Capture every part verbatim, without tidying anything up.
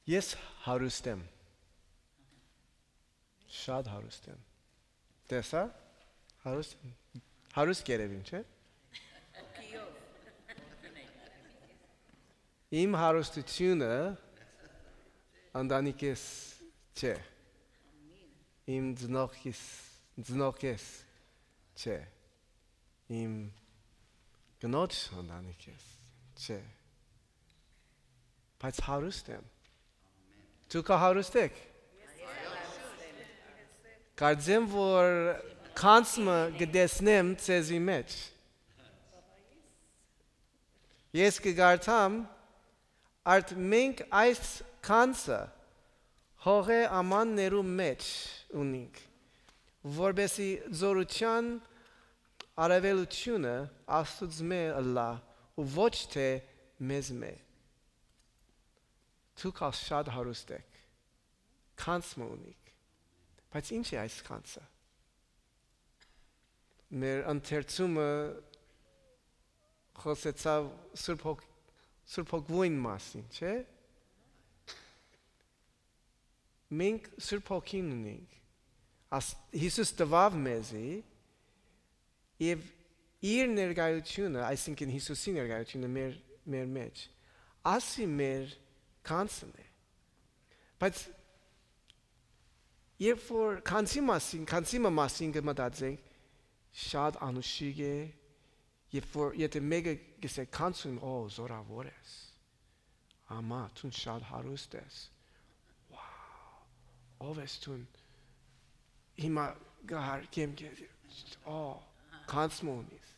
Ես հարուստ եմ։ Շատ հարուստ եմ։ Տեսա՞, հարուստ եմ։ Հարուստ կ'երեւիմ, չէ՞։ Իմ հարուստութիւնը ընտանիքիս չէ։ Իմ ծնողքիս, ծնողքիս չէ։ Իմ կնոջ ընտանիքիս չէ։ Բայց հարուստ եմ։ Դուք ա հարուստ եք։ Կարծեմ, որ գանձ մը կը տեսնեմ ձեզի մէջ։ Ես կը կարդամ, արդ մենք այս գանձը հողէ ամաններու մէջ ունինք, որպեսզի զօրութեան արաւելութիւնը Աստուծմէ ըլլայ ու ոչ թէ մեզմէ։ Դուք ալ շատ հարուստ էք, գանձ մը ունիք, բայց ի՞նչ է այս գանձը։ Մեր ընթերցումը խօսեցաւ Սուրբ Հոգ-, Սուրբ Հոգուին մասին, չէ՞։ Մենք Սուրբ Հոգին ունենք։ Աս-, Յիսուս տուաւ մեզի, եւ իր ներկայութիւնը, այսինքն՝ Յիսուսի ներկայութիւնը մեր, մեր մէջ, ասի մեր գանձն է։ Բայց երբ որ գանձի մասին, գանձի մը մասին կը մտածենք, շատ անուշիկ է, երբ որ, եթե մէկը կ'ըսէ, «Գանձ ունեմ», «Օ, զօրաւոր ես, ամա, դուն շատ հարուստ ես, Wow, ով ես դուն, հիմա կը հարգեմ քեզ, օ, գանձ մը ունիս»։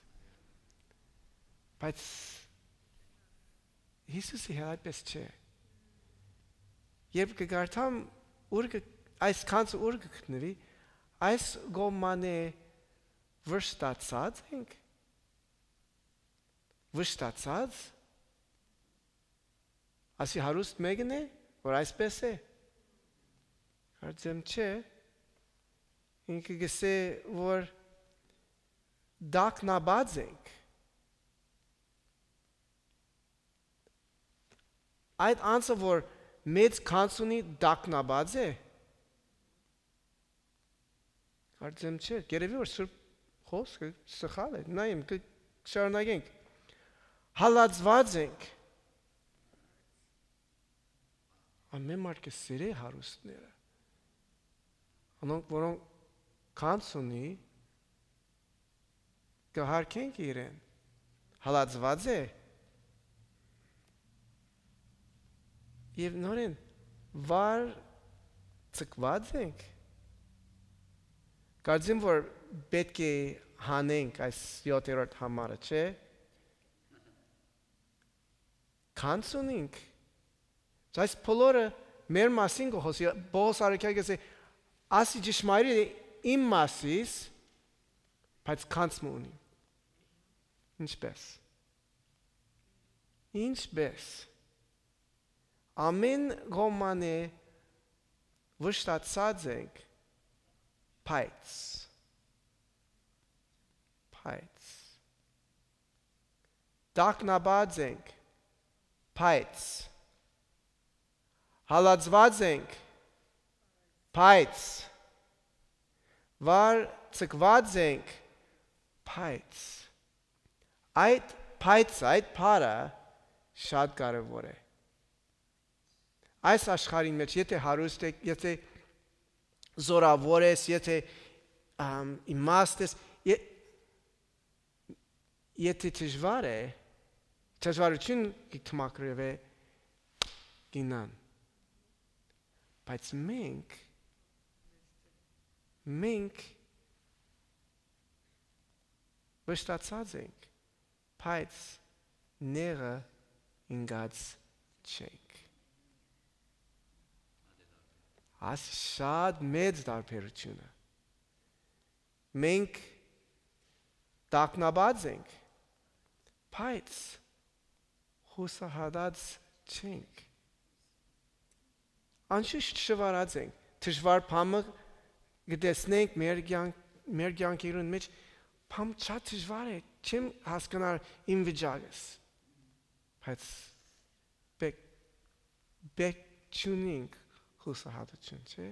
Բայց Յիսուսի հետ այդպես չէ։ Երբ կը կարդամ, ուր կը, այս գանձը ուր կը գտնուի, այս կողմանը վշտացած ենք, վշտացած, ասի հարուստ մեկն է, որ այսպես է։ Կարծեմ չէ, ինքը կ'ըսէ, որ տագնապած ենք։ Այդ անձը, որ մեծ գանձ ունի, տագնապած է։ Կարծեմ չէ, կ'երեւի, որ Սուրբ Խոսքը սխալ է, նայեմ, կը շարունակենք։ Հալածուած ենք։ Ամեն մարդ կը սիրէ հարուստները։ Անոնք, որոնք գանձ ունի, կը հարգենք իրեն։ Հալածուած է։ Եւ նորեն վար ձգված ենք։ Կարծեմ, որ պէտք է հանենք այս յոթերորդ համարը, չէ՞։ Գանձ ունինք։ Այս բոլորը մեր մասին կը խօսի, Պողոս առաքյալ կ'ըսէ, «Ասի ճշմարիտ է իմ մասիս, բայց գանձ մը ունի»։ Ինչպե՞ս։ Ինչպե՞ս։ Ամեն կողմանը վշտացած ենք, բայց, բայց, տագնապած ենք, բայց, հալածուած ենք, բայց, վար ձգված ենք, բայց, այդ բայց, այդ բառը շատ կարեւոր է։ Այս աշխարհին մէջ, եթե հարուստ ես, եթե զօրաւոր ես, եթե, ամ, իմաստ ես, ե-, եթե դժվար է, դժվարութիւն կը դիմագրուի, կ'իյնան։ Բայց մենք, մենք վշտացած ենք, բայց նեղը ինկած չենք։ Այս շատ մեծ տարբերութիւնը։ Մենք տագնապած ենք, բայց յուսահատած չենք։ Անշուշտ շվարած ենք, դժուար բան մը կը տեսնենք մեր կեանք-, մեր կեանքերուն մէջ, բան շատ դժուար է, չեմ հասկնար իմ վիճակս, բայց պէ-, պէ-, չունինք հուսահատութիւն, չէ՞։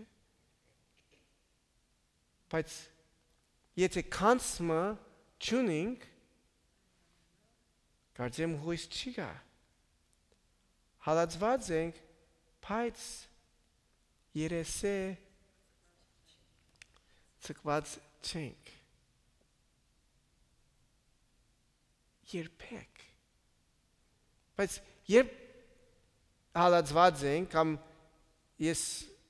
Բայց եթէ գանձ մը չունինք, կարծեմ հոյս չի գայ։ Հալածուած ենք, բայց երեսէ ձգուած չենք։ Երբեք։ Բայց երբ հալածուած ենք, կամ ես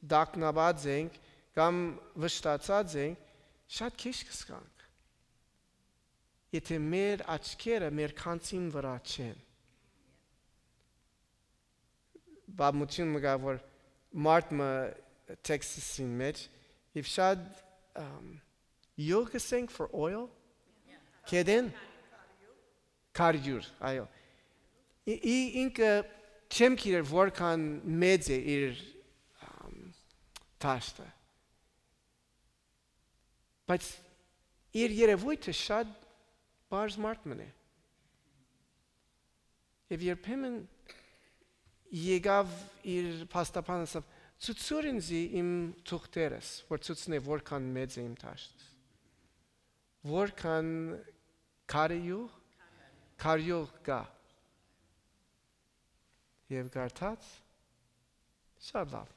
տագնապած ենք, կամ վշտացած ենք, շատ քիչ կ'զգանք, եթէ մեր աչքերը մեր գանձին վրայ չեն։ Պատմութիւն մը կայ, որ մարդ մը Թեքսասին մէջ, եւ շատ, ըմ, յուղ կ'ըսենք for oil, գետէն, քարիւր, այո։ Ի, ի, ինքը չեմ գիտեր որքան մեծ է իր, ըմ, դաշտը, բայց իր երեւոյթը շատ պարզ մարդ մըն է։ Եւ երբեմն եկաւ իր փաստաբան, ասաւ. «Ցուցուր ինծի իմ թուղթերս, որ ցուցնէ որքան մեծ է իմ դաշտս, որքան քարի յուղ, քարի յուղ կայ»։ Եւ կարդաց. «Շատ լաւ,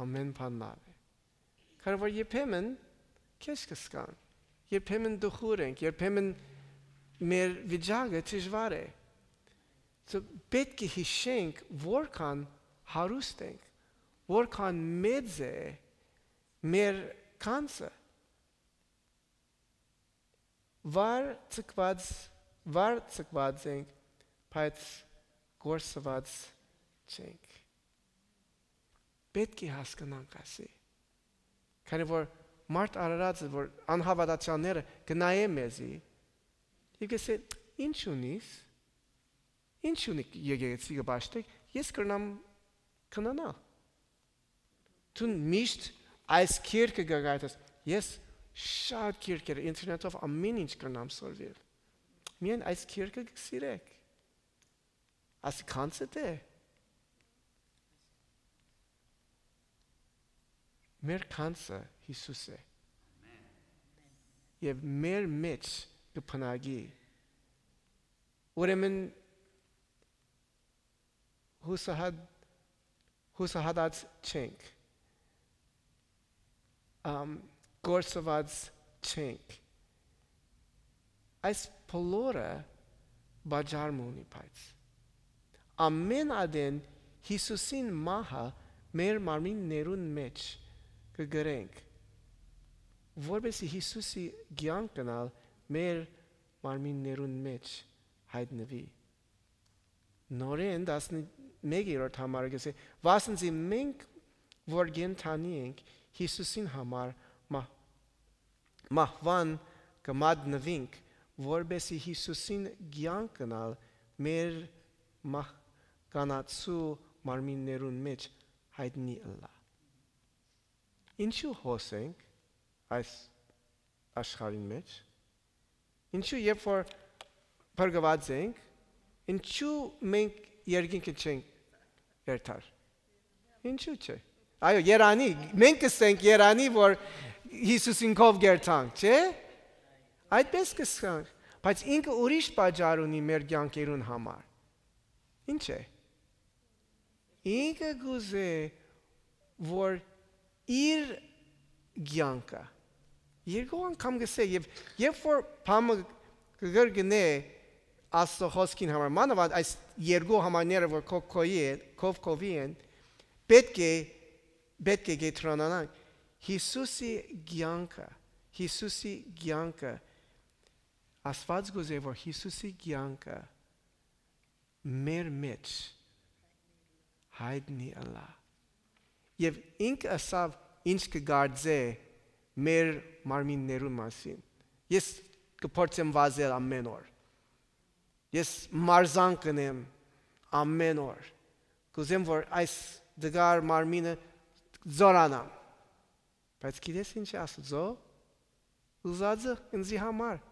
ամէն բան լաւ է»։ Քանի որ երբեմն քեզ կ'զգանք, երբեմն տխուր ենք, երբեմն մեր վիճակը դժուար է։ So, պէտք է յիշենք որքան հարուստ ենք, որքան մեծ է մեր գանձը։ Վար ձգուած, վար ձգուած ենք, բայց կորսուած չենք։ Պէտք է հասկնանք ասի։ Քանի որ մարդ արարածը, որ անհաւատացյալները կը նայեն մեզի, եւ կ'ըսեն. «Ի՞նչ ունիս, ի՞նչ ունի եկեղեցի կը պաշտեք, ես կրնամ գնանալ»։ Դուն միշտ այս կիրքը կը կարդաս։ Ես շատ կիրքեր ինտերնետով ամեն ինչ կրնամ սորվիլ։ Միայն այս կիրքը կը սիրեք։ Ասի գանձը դէ։ Մեր գանձը Յիսուս է։ Եւ մեր մէջ կը բնակի։ Ուրեմն հուսահատ-, հուսահատած չենք, ամ, կորսուած չենք։ Այս բոլորը պատճառ մը ունի, բայց ամէն ատեն Յիսուսին մահը մեր մարմիններուն մէջ կը կրենք, որպեսզի Յիսուսի կեանքն ալ մեր մարմիններուն մէջ յայտնուի։ Նորէն տասնմէկերորդ համարը կ'ըսէ. «Վասն զի մենք որ կենդանի ենք, Յիսուսին համար մահ-, մահուան կը մատնուինք, որպեսզի Յիսուսին կեանքն ալ մեր մահկանացու մարմիններուն մէջ յայտնի ըլլայ»։ Ինչու հոս ենք այս աշխարհին մէջ։ Ինչու, երբ որ փրկուած ենք, ինչու մենք երկինքը չենք երթար։ Ինչու՞ չէ։ Այո, երանի, մենք կ'ըսենք երանի, որ Յիսուսին քով կերթանք, չէ՞։ Այդպես կ'ըսենք, բայց ինքը ուրիշ պատճառ ունի մեր կեանքերուն համար։ Ինչ է։ Ինքը կ'ուզէ, որ իր կեանքը, երկու անգամ կ'ըսէ, եւ երբ որ բանը կը կրկնէ Աստծո խոսքին համար, մանաւանդ այս երկու համարները, որ քո քովի են, քով քովի են, պէտք է, պէտք է կեդրոնանանք Յիսուսի կեանքը, Յիսուսի կեանքը։ Աստուած կ'ուզէ, որ Յիսուսի կեանքը մեր մէջ յայտնի ըլլայ։ Եւ ինքը ըսաւ ինչ կը կարծէ մեր մարմիններուն մասին։ Ես կը փորձեմ վազել ամէն օր։ Ես մարզանք կ'ընեմ ամէն օր։ Կ'ուզեմ, որ այս տկար մարմինը զօրանամ։ Բայց գիտես ինչ է Աստուծոյ ուզածը ինծի համար։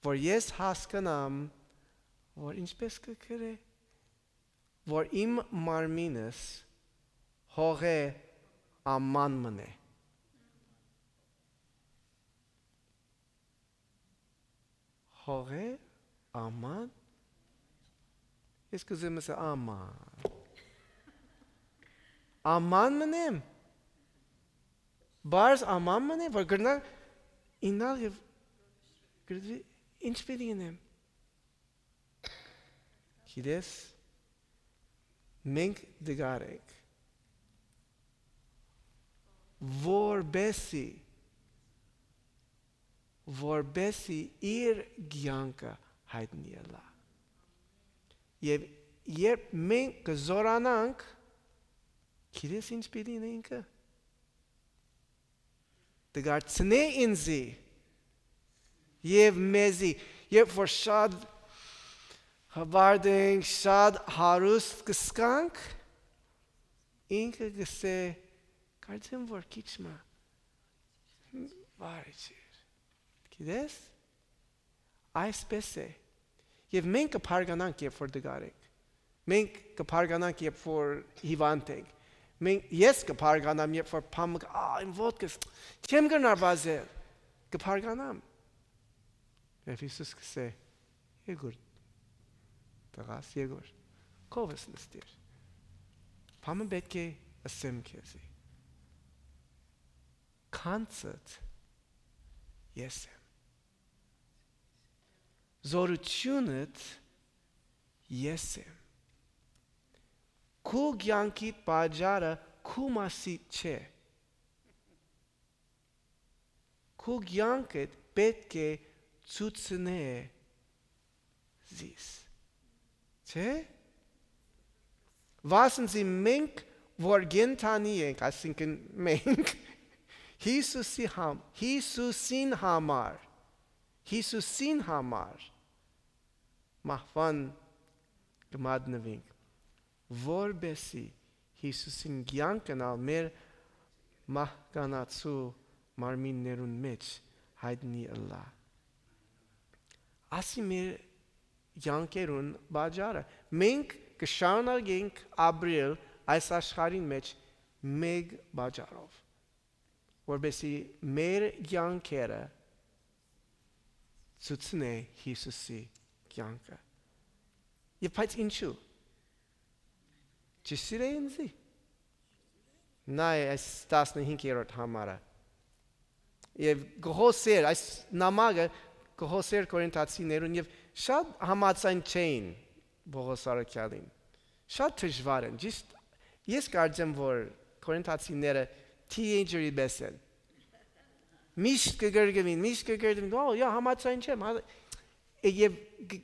Որ ես հասկնամ, որ ինչպես կը գրէ, որ իմ մարմինս հողէ աման մըն է։ Հողէ աման։ Ես կ'ուզեմ ասեմ, աման։ Աման մըն եմ։ Պարզ աման մըն է, որ կրնայ իյնալ եւ կրթի, ինչ պիտի ընեմ։ Գիտես, մենք դգար ենք, որպեսի, որպեսի իր կեանքը յայտնի ըլլայ։ Եւ երբ մենք կը զօրանանք, գիտես ինչ պիտի ինքը։ Դգարցնէ ինծի եւ մեզի, երբ որ շատ հպարտ ենք, շատ հարուստ կ'ըսկանք, ինքը կ'ըսէ, «Կարծեմ որ քիչ մը վարի չիր»։ Գիտես, այսպես է։ Եւ մենք կը բարգանանք, երբ որ դգար ենք։ Մենք կը բարգանանք, երբ որ հիվանդ ենք։ Մենք, ես կը բարգանամ, երբ որ բան մը, ա, իմ ոտքս, չեմ կրնար վազել։ Կը բարգանամ։ Եւ Յիսուս կ'ըսէ, «Եկուր, տղաս, եկուր, քովս նստիր։ Բան մը պէտք է ըսեմ քեզի։ Գանձդ ես եմ։ Զօրութիւնդ ես եմ։ Քու կեանքիդ պատճառը քու մասիդ չէ։ Քու կեանքդ պէտք է ցուցնէ զիս»։ Չէ՞։ Վասն զի մենք, որ կենդանի ենք, այսինքն մենք, Յիսուսի համ-, Յիսուսին համար, Յիսուսին համար մահուան կը մատնուենք, որպեսզի Յիսուսին կեանքն ալ մեր մահկանացու մարմիններուն մէջ յայտնի ըլլայ։ Ասի մեր կեանքերուն պատճառը։ Մենք կը շարունակենք ապրել այս աշխարհին մէջ մէկ պատճառով, որպեսզի մեր կեանքերը ցուցնէ Յիսուսի կեանքը։ Եւ բայց ինչու՞։ Չսիրէ ինծի։ Նայ այս տասնհինգերորդ համարը։ Եւ կը խօսէր, այս նամակը կը խօսէր Կորինթացիներուն, եւ շատ համաձայն չէին Պողոս առաքեալին։ Շատ դժուար են, ճիշդ։ Ես կարծեմ, որ Կորինթացիները teenager-ի պես են։ Միշտ կը կրկնին, միշտ կը կրկնին, «Ո, յա, համաձայն չեմ», հա։ Եւ կ-,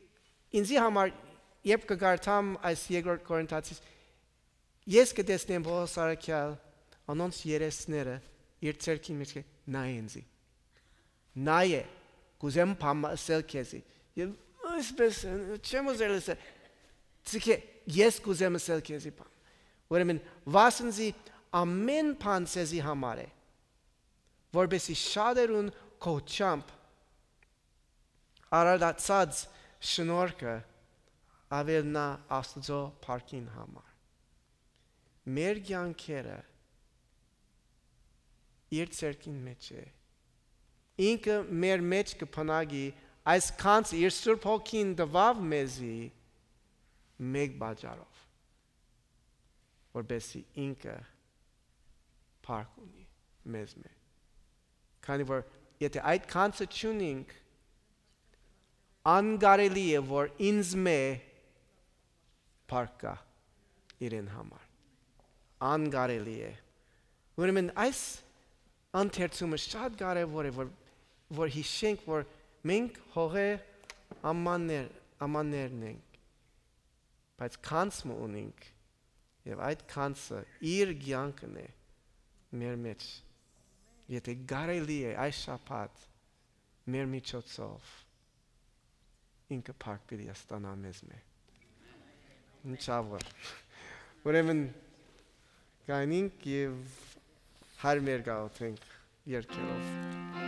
ինձի համար, երբ կը կարդամ այս երկրորդ Կորինթացիս, ես կը տեսնեմ Պողոս առաքեալ, անոնց երեսները իր ձեռքին մէջ կը նայ ինձի։ Նայ է, կ'ուզեմ բան մը ըսել քեզի։ Եւ այսպես, չեմ ուզեր ըսել, ցիկե, ես կ'ուզեմ ըսել քեզի բան։ Ուրեմն, վասն զի ամէն բան ձեզի համար է, որպեսզի շատերուն կոչչամբ արարածած շնորհքը աւելնայ Աստուծոյ փառքին համար։ Մեր կեանքերը իր ձեռքին մէջ է։ Ինքը մեր մէջ կը բնակի, այս գանձը իր Սուրբ Հոգին տուաւ մեզի մէկ պատճառով, որպեսզի ինքը փառք ունի մեզմէ։ Քանի որ եթե այդ գանձը չունինք, անկարելի է, որ ինձմէ փառք գայ իրեն համար։ Անկարելի է։ Ուրեմն այս ընթերցումը շատ կարեւոր է, որ, որ յիշենք, որ մենք հողէ ամաններ, ամաններն ենք, բայց գանձ մը ունենք, եւ այդ գանձը իր կեանքն է մեր մէջ։ Եթե կարելի է այս շաբաթ մեր միջոցով, ինքը փառք պիտի ստանայ մեզմէ։ Ինչ ա որ։ Ուրեմն, գանինք եւ Հայր մեր գաղութենք երկերով։